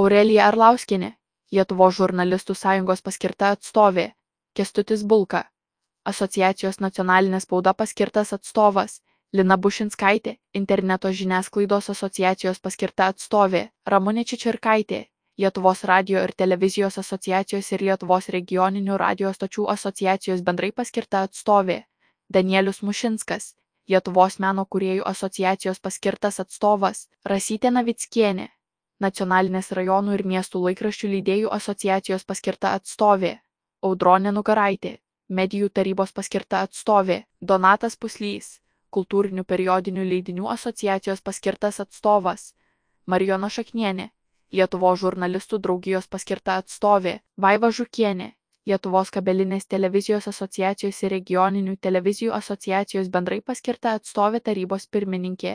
Aurelija Arlauskienė, Lietuvos žurnalistų sąjungos paskirta atstovė, Kęstutis Bulka, Asociacijos nacionalinė spauda paskirtas atstovas, Lina Bušinskaitė, Interneto žiniasklaidos asociacijos paskirta atstovė, Ramunė Čičirkaitė, Lietuvos radijo ir televizijos asociacijos ir Lietuvos regioninių radijo stočių asociacijos bendrai paskirta atstovė, Danielius Mušinskas, Lietuvos meno kūrėjų asociacijos paskirtas atstovas, Rasytė Navickienė, Nacionalinės rajonų ir miestų laikraščių leidėjų asociacijos paskirta atstovė, Audronė Nugaraitė, Medijų tarybos paskirta atstovė, Donatas Puslys, Kultūrinių periodinių leidinių asociacijos paskirtas atstovas, Marijona Šaknienė, Lietuvos žurnalistų draugijos paskirta atstovė, Vaiva Žukienė, Lietuvos kabelinės televizijos asociacijos ir regioninių televizijų asociacijos bendrai paskirta atstovė tarybos pirmininkė.